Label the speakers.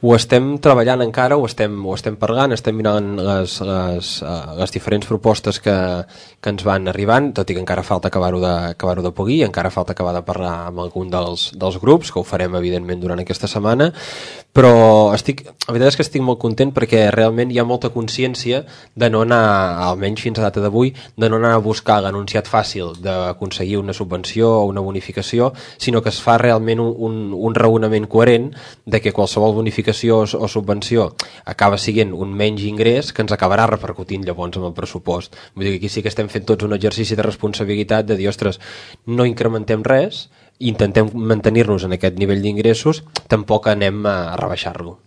Speaker 1: Ho estem treballant encara, ho estem parlant, estem mirant les diferents propostes que ens van arribant, tot i que encara falta acabar-ho de polir, encara falta acabar de parlar amb algun dels grups, que ho farem evidentment durant aquesta setmana, però la veritat és que estic molt content perquè realment hi ha molta consciència de no anar, almenys fins a data d'avui, de no anar a buscar l'anunciat fàcil d'aconseguir una subvenció o una bonificació, sinó que es fa realment un raonament coherent de que qualsevol bonificació o subvenció acaba sent un menys ingrés que ens acabarà repercutint llavors amb el pressupost. Vull dir que aquí sí que estem fent tots un exercici de responsabilitat de dir, ostres, no incrementem res, intentem mantenir-nos en aquest nivell d'ingressos, tampoc anem a rebaixar-lo.